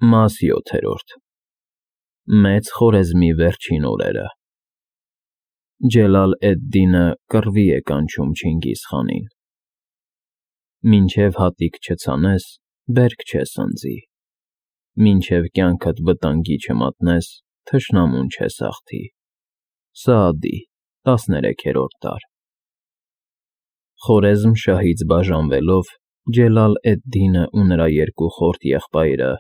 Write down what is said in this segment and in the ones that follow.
Մաս 7 Մեծ Խորեզմի վերջին օրերը Ջելալ էդ-Դինը կռվի է կանչում Չինգիզ խանին. Մինչև հատիկ չցանես, բերք չես ընձի, մինչև կյանքդ վտանգի չմատնես, թշնամուն չես հաղթի. Սաադի, 13-րդ դար Խորեզմ շահից բաժանվելով, Ջելալ էդ-Դինը ու նրա երկու խորթ եղբայրը,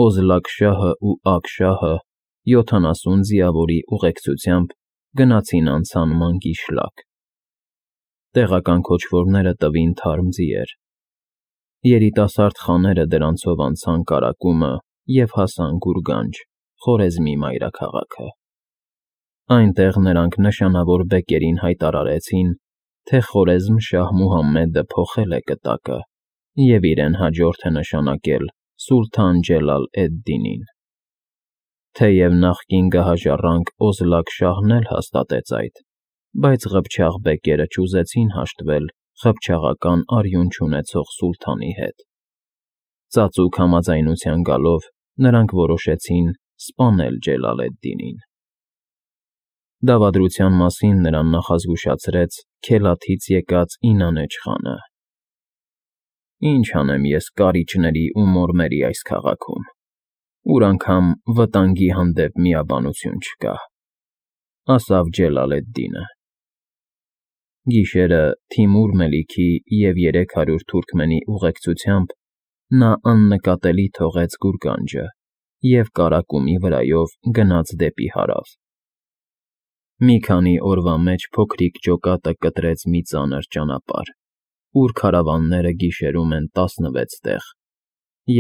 Օզլակ շահն ու Ակ շահը, 70 ձիավորի ուղեկցությամբ գնացին անցան Մանգիշլակ. տեղական քոչվորները տվին թարմ ձիեր. երիտասարդ խաները դրանցով անցան Կարակումը և հասան Գուրգանջ, Խորեզմի մայրաքաղաքը. այնտեղ նրանք նշանավոր բեկերին հայտարարեցին, թե Խորեզմ շահ Մուհամմեդը փոխել է կտակը և իրեն հաջորդ է նշանակել Սուլթան Ջելալ էդ-Դինին. թեև նախկին գահաժառանգ Օզլակ շահն էլ հաստատեց այդ, բայց ղփչաղ բեկերը չուզեցին հաշտվել ղփչաղական արյուն չունեցող սուլթանի հետ. ծածուկ համաձայնության գալով նրանք որոշեցին սպանել Ջելալ էդ-Դինին. Դավադրության մասին նրան նախազգուշացրեց Քելաթից եկած Ինանեջ խանը. Ինչ անեմ ես կարիճների ու մորմերի այս քաղաքում, ուր անգամ վտանգի հանդեպ միաբանություն չկա, ասավ Ջելալ էդ-Դինը. Գիշերը Թիմուր Մելիքի և 300 թուրքմենի ուղեկցությամբ նա աննկատելի թողեց Գուրգանջը և Կարակումի վրայով գնաց դեպի հարավ. մի քանի օրվա մեջ փոքրիկ ջոկատը կտրեց մի ծանր ճանապարհ, ուր քարավանները գիշերում են 16 տեղ,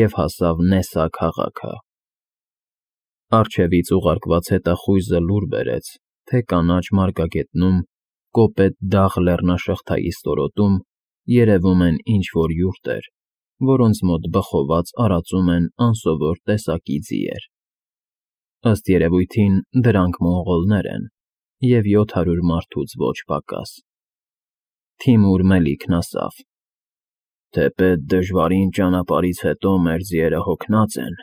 և հասավ Նեսա քաղաքը. առջևից ուղարկված հետախույզը լուր բերեց, թե կանաչ մարգագետնում, կոպետ դաղ լեռնաշղթայի ստորոտում երևում են ինչ-որ յուրտեր, որոնց մոտ բխոված արածում են անսովոր տեսակի ձիեր. ըստ երևույթին դրանք մոնղոլներ են և 700 մարդուց ոչ պակաս. Թիմուր Մելիքն ասավ. թեպետ դժվարին ճանապարհից հետո մեր ձիերը հոգնած են,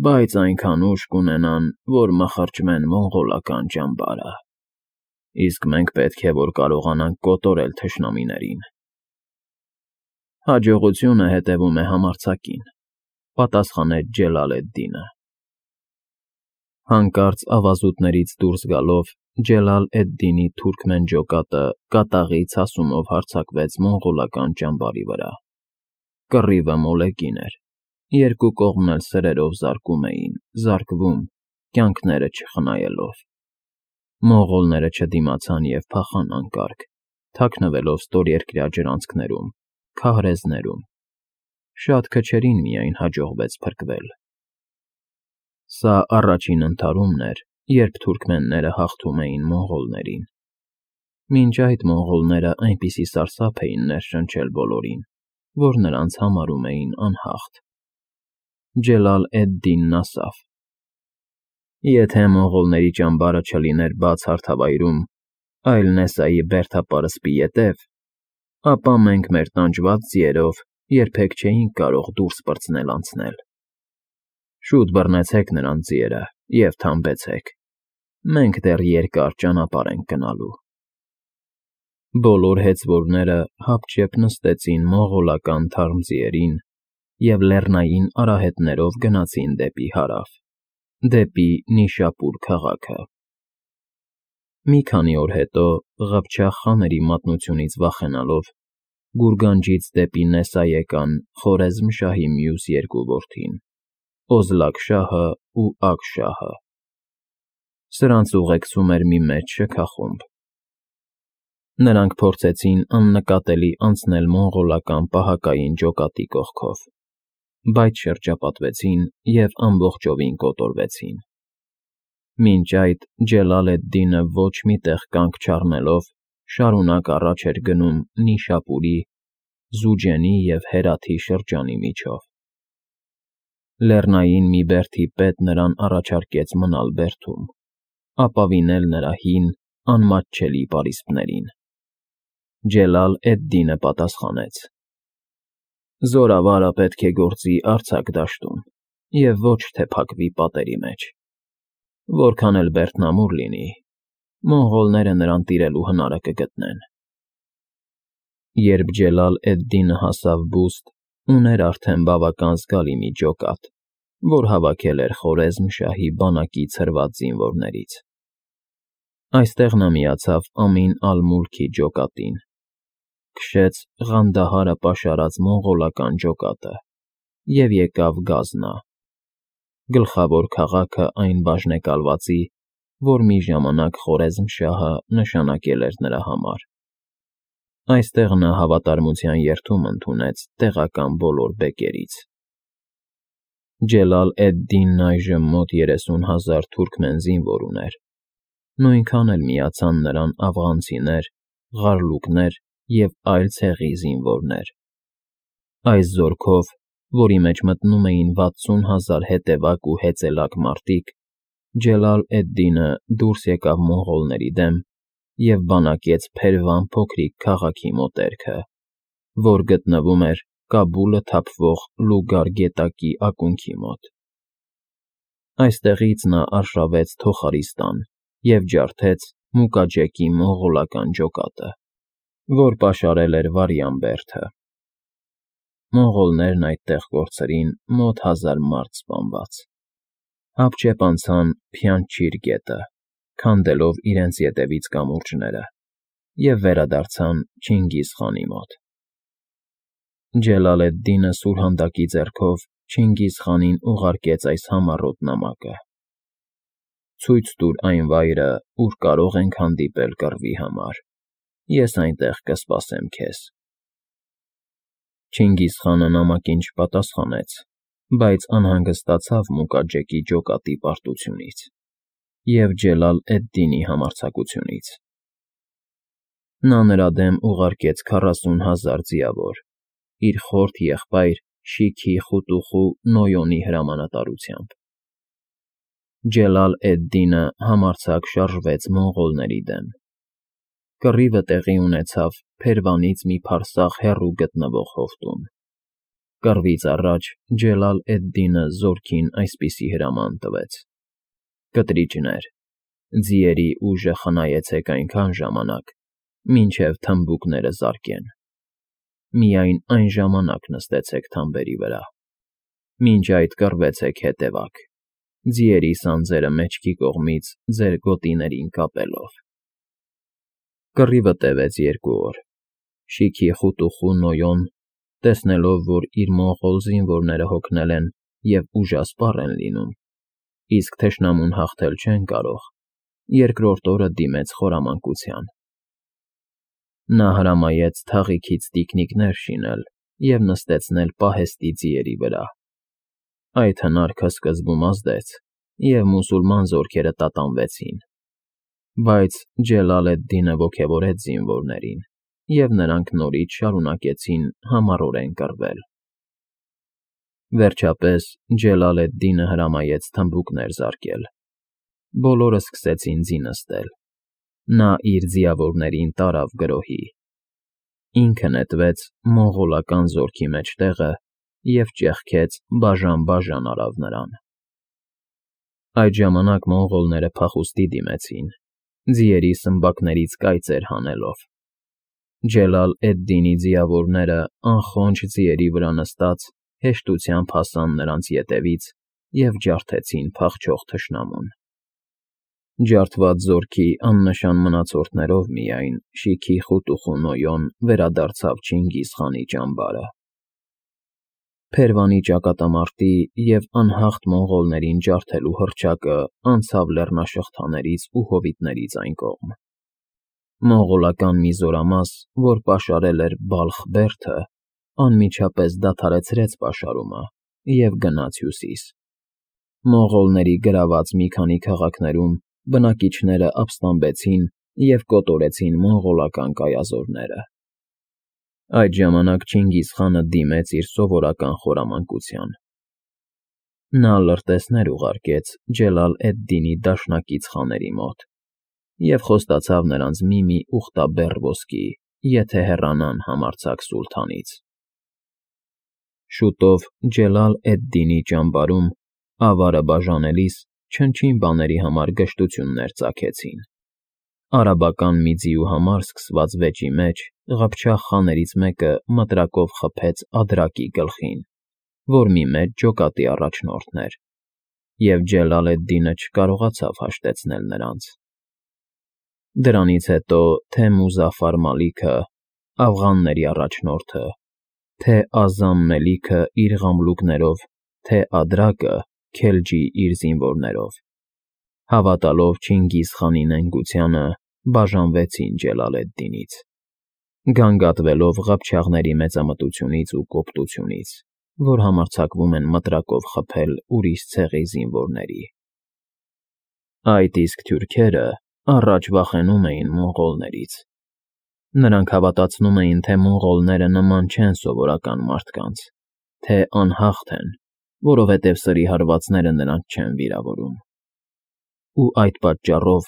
բայց այնքան ուժ կունենան, որ մխրճեն մոնղոլական ճամբարը, իսկ մենք պետք է որ կարողանանք կոտորել թշնամիներին. Հաջողությունը հետևում է համարձակին, պատասխանեց Ջելալ էդ-Դինը. Հանկարծ ավազուտներից դուրս գալով Ջելալ էդ-Դինի թուրքմեն ջոկատը կատաղի ցասումով հարձակվեց մոնղոլական ճամբարի վրա. կռիվը մոլեգին էր, երկու կողմն էլ սրերով զարկում էին, զարկվում, կյանքները չխնայելով. մոնղոլները չդիմացան և փախան անկարգ, թաքնվելով ստորերկրյա ջրանցքներում, քահրեզներում. շատ քչերին միայն հաջողվեց փրկվել. Սա առաջին ընդհարումն էր, երբ թուրքմենները հաղթում էին մոնղոլներին. մինչ այդ մոնղոլները այնպիսի սարսափ էին ներշնչել բոլորին, որ նրանց համարում էին անհաղթ. Ջելալ էդ-Դինն ասավ. եթե մոնղոլների ճամբարը չլիներ բաց հարթավայրում, այլ Նեսայի բերդապարսպի ետև, ապա մենք մեր տանջված ձիերով երբեք չէինք կարող դուրս պրծնել անցնել. շուտ բռնեցեք նրանց ձիերը և թամբեցեք, մենք դեռ երկար ճանապարհ ենք գնալու: Բոլոր հեծվորները հապճեպ նստեցին մոնղոլական թարմ ձիերին և լեռնային արահետներով գնացին դեպի հարավ, դեպի Նիշապուր քաղաքը: Մի քանի օր հետո, ղփչաղ խաների մատնությունից վախենալով, Գուրգանջից դեպի Նեսա եկան Խորեզմ շահի մյուս երկու որդին՝ Օզլակ շահն ու Ակ շահը: Սրանց ուղեկցում էր մի մեծ շքախումբ. նրանք փորձեցին աննկատելի անցնել մոնղոլական պահակային ջոկատի կողքով, բայց շրջապատվեցին և ամբողջովին կոտորվեցին: Մինչ այդ Ջելալ էդ-Դինը ոչ մի տեղ կանգ չառնելով շարունակ առաջ էր գնում Նիշապուրի, Զուջենի և Հերաթի շրջանի միջով: Լեռնային մի բերդի պետ նրան առաջարկեց մնալ բերդում, ապավինել նրա հին, անմատչելի պարիսպներին: Ջելալ էդ-Դինը պատասխանեց. զորավարը պետք է գործի արձակ դաշտում, և ոչ թե փակվի պատերի մեջ։ Որքան էլ բերդնամուր լինի, մոնղոլները նրան տիրելու հնարը կգտնեն։ Երբ Ջելալ էդ-Դինը հասավ բուստ, ուներ արդեն բավական զգալի մի ջոկատ, որ հավաքել էր Խորեզմ շահի բանակի ցրված զինվորներից։ Այստեղ նա միացավ Ամին ալ֊Մուլքի ջոկատին, քշեց Ղանդահարը պաշարած մոնղոլական ջոկատը և եկավ Գազնա, գլխավոր քաղաքը այն բաժնեկալվածի, որ մի ժամանակ Խորեզմշահը նշանակել էր նրա համար։ Այստեղ նա հավատարմության երդում ընդունեց տեղական բոլոր բեկերից։ Ջելալ էդ-Դինն այժմ մոտ 30,000 թուրքմեն զինվոր ուներ, նույնքան էլ միացան նրան աֆղանցիներ, ղարլուկներ և այլ ցեղի զինվորներ։ Այս զորքով, որի մեջ մտնում էին 60,000 հետևակ ու հեծելակ մարդիկ, Ջելալ էդ-Դինը դուրս եկավ մոնղոլների դեմ և բանակեց Փերվան փոքրիկ քաղաքի մոտերքը, որ գտնվում էր Կաբուլը թափվող Լուգար գետակի ակունքի մոտ։ Այստեղից նա արշավեց Թոխարիստան և ջարդեց Մուկաջեկի մոնղոլական ջոկատը, որ պաշարել էր Վարյան բերդը։ Մոնղոլներն այդտեղ կորցրին մոտ 1000 մարդ սպանված, հապճեպ անցան Փյանջիր գետը, քանդելով իրենց ետևից կամուրջները, և վերադարձան Չինգիզ խանի մոտ։ Ջելալ էդ-Դինը սուրհանդակի ձեռքով Չինգիզ խանին ուղարկեց այս համառոտ նամակը. «Ցույց տուր այն վայրը, ուր կարող ենք հանդիպել կռվի համար, ես այնտեղ կսպասեմ քեզ»։ Չինգիզ խանը նամակին չպատասխանեց, բայց անհանգստացավ Մուկաջեկի ջոկատի պարտությունից և Ջելալ էդ-Դինի համարձակությունից։ Նա նրա դեմ ուղարկեց 40,000 ձիավոր, իր խորթ եղբայր Շիքի Խուտուխու Նոյոնի հրամանատարությամբ։ Ջելալ էդ-Դինը համարձակ շարժվեց մոնղոլների դեմ։ Կռիվը տեղի ունեցավ Փերվանից մի փարսաղ հեռու գտնվող հովտում։ Կռվից առաջ Ջելալ էդ-Դինը զորքին այսպիսի հրաման տվեց. «Կտրիճներ, ձիերի ուժը խնայեցեք այնքան ժամանակ, մինչև թմբուկները զարկեն։ Միայն այն ժամանակ նստեցեք թամբերի վրա։ Մինչ այդ կռվեցեք հետևակ, ձիերի սանձերը մեջքի կողմից ձեր գոտիներին կապելով»։ Կռիվը տևեց 2 օր։ Շիքի Խուտուխու Նոյոն, տեսնելով, որ իր մոնղոլ զինվորները հոգնել են և ուժասպառ են լինում, իսկ թշնամուն հաղթել չեն կարող, երկրորդ օրը դիմեց խորամանկության։ Նա հրամայեց թաղիքից տիկնիկներ շինել և նստեցնել պահեստի ձիերի վրա։ Այդ հնարքը սկզբում ազդեց, և մուսուլման զորքերը տատանվեցին, բայց Ջելալ էդ-Դինը ոգևորեց զինվորներին, և նրանք նորից շարունակեցին համառորեն կռվել։ Վերջապես Ջելալ էդ-Դինը հրամայեց թմբուկներ զարկել։ Բոլորը սկսեցին ձի նստել։ Նա իր ձիավորներին տարավ գրոհի։ Ինքը նետվեց մոնղոլական զորքի մեջտեղը և ճեղքեց բաժան արավ նրան։ Այդ ժամանակ մոնղոլները փախուստի դիմեցին, ձիերի սմբակներից կայծեր հանելով։ Ջելալ էդ-Դինի ձիավորները անխոնջ ձիերի վրա նստած հեշտությամբ հասան նրանց ետևից և ջարդեցին փախչող թշնամուն։ Ջարդված զորքի աննշան մնացորդներով միայն Շիքի Խուտուխու Նոյոն վերադարձավ Չինգիզ խանի ճամբարը։ Փերվանի ճակատամարտի և անհաղթ մոնղոլներին ջարդելու հռչակը անցավ լեռնաշղթաներից ու հովիտներից այն կողմ։ Մոնղոլական մի զորամաս, որ պաշարել էր Բալխ բերդը, անմիջապես դադարեցրեց պաշարումը և գնաց հյուսիս։ Մոնղոլների գրաված մի քանի քաղաքներում բնակիչները ապստամբեցին և կոտորեցին մոնղոլական կայազորները։ Այդ ժամանակ Չինգիզ խանը դիմեց իր սովորական խորամանկության։ Նա լրտեսներ ուղարկեց Ջելալ էդ-Դինի դաշնակից խաների մոտ և խոստացավ նրանց մի ուխտաբեռ ոսկի, եթե հեռանան համարձակ սուլթանից։ Շուտով Ջելալ էդ-Դինի ճամբարում Ավարը բաժանելիս չնչին բաների համար գժտություններ ծագեցին։ Արաբական մի ձիու համար սկսված վեճի մեջ ղփչաղ խաներից մեկը մտրակով խփեց Ադրակի գլխին, որ մի մեծ ջոկատի առաջնորդն էր, և Ջելալ էդ֊Դինը չկարողացավ հաշտեցնել նրանց։ Դրանից հետո թե Մուզաֆար Մալիքը, աֆղանների առաջնորդը, թե Ազամ Մելիքը իր ղամլուկներով, թե Ադրակը Քելջի իր զինվորներով, հավատալով Չինգիզ խանի նենգությանը, բաժանվեցին Ջելալ էդ֊Դինից, գանգատվելով ղփչաղների մեծամտությունից ու կոպտությունից, որ համարձակվում են մտրակով խփել ուրիշ ցեղի զինվորների։ Այդ իսկ թուրքերը առաջ վախենում էին մոնղոլներից։ Նրանք հավատացնում էին, թե մոնղոլները նման չեն սովորական մարդկանց, թե անհաղթ են, որովհետև սրի հարվածները նրանց չեն վիրավորում։ Ու այդ պատճառով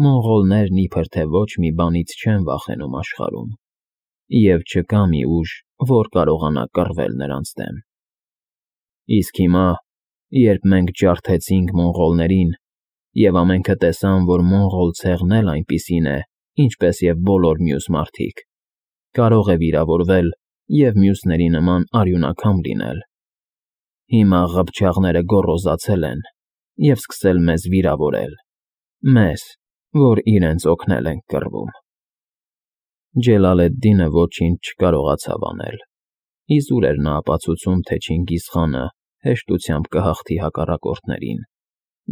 մոնղոլներն իբր թե ոչ մի բանից չեն վախենում աշխարհում, և չկա մի ուժ, որ կարողանա կռվել նրանց դեմ։ Իսկ հիմա, երբ մենք ջարդեցինք մոնղոլներին, և ամենքը տեսան, որ մոնղոլ ցեղն էլ այնպիսին է, ինչպես և բոլոր մյուս մարդիկ, կարող է վիրավորվել և մյուսների նման արյունակամ լինել, հիմա ղփչաղները գոռոզացել են և սկսել մեզ վիրավորել, մեզ, որ իրենց օգնել ենք կռվում։ Ջելալ էդ֊Դինը ոչինչ չկարողացավ անել։ Իզուր էր նա ապացուցում, թե Չինգիզ խանը հեշտությամբ կհաղթի հակառակորդներին,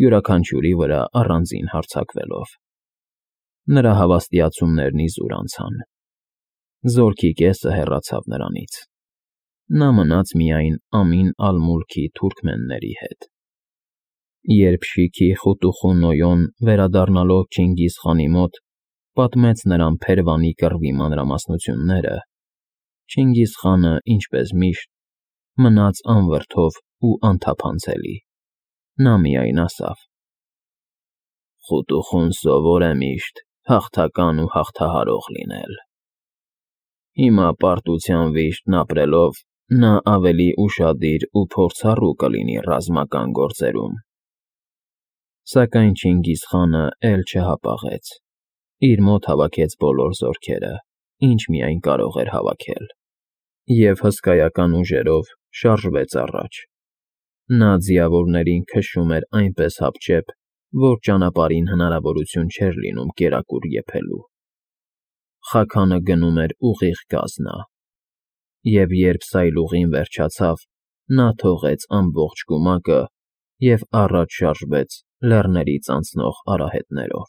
յուրաքանչյուրի վրա առանձին հարձակվելով։ Նրա հավաստիացումներն իզուր անցան։ Զորքի կեսը հեռացավ նրանից։ Նա մնաց միայն Ամին ալ֊Մուլքի թուրքմենների հետ։ Երբ Շիքի Խուտուխու Նոյոն, վերադառնալով Չինգիզ խանի մոտ, պատմեց նրան Փերվանի կռվի մանրամասնությունները, Չինգիզ խանը, ինչպես միշտ, մնաց անվրդով ու անթափանցելի։ Նա միայն ասավ. «Խուտուխուն սովոր է միշտ հաղթական ու հաղթահարող լինել։ Հիմա պարտության վիշտն ապրելով նա ավելի ուշադիր ու փորձառու կլինի ռազմական գործերում»։ Սակայն Չինգիզ խանը էլ չհապաղեց։ Իր մոտ հավաքեց բոլոր զորքերը, ինչ միայն կարող էր հավաքել, և հսկայական ուժերով շարժվեց առաջ։ Նա ձիավորներին քշում էր այնպես հապճեպ, որ ճանապարհին հնարավորություն չէր լինում կերակուր եփելու։ Խաքանը գնում էր ուղիղ գազնա, և երբ սայլուղին վերջացավ, նա թողեց ամբողջ կումակը և առաջ շարժվեց լեռներից անցնող արահետներով։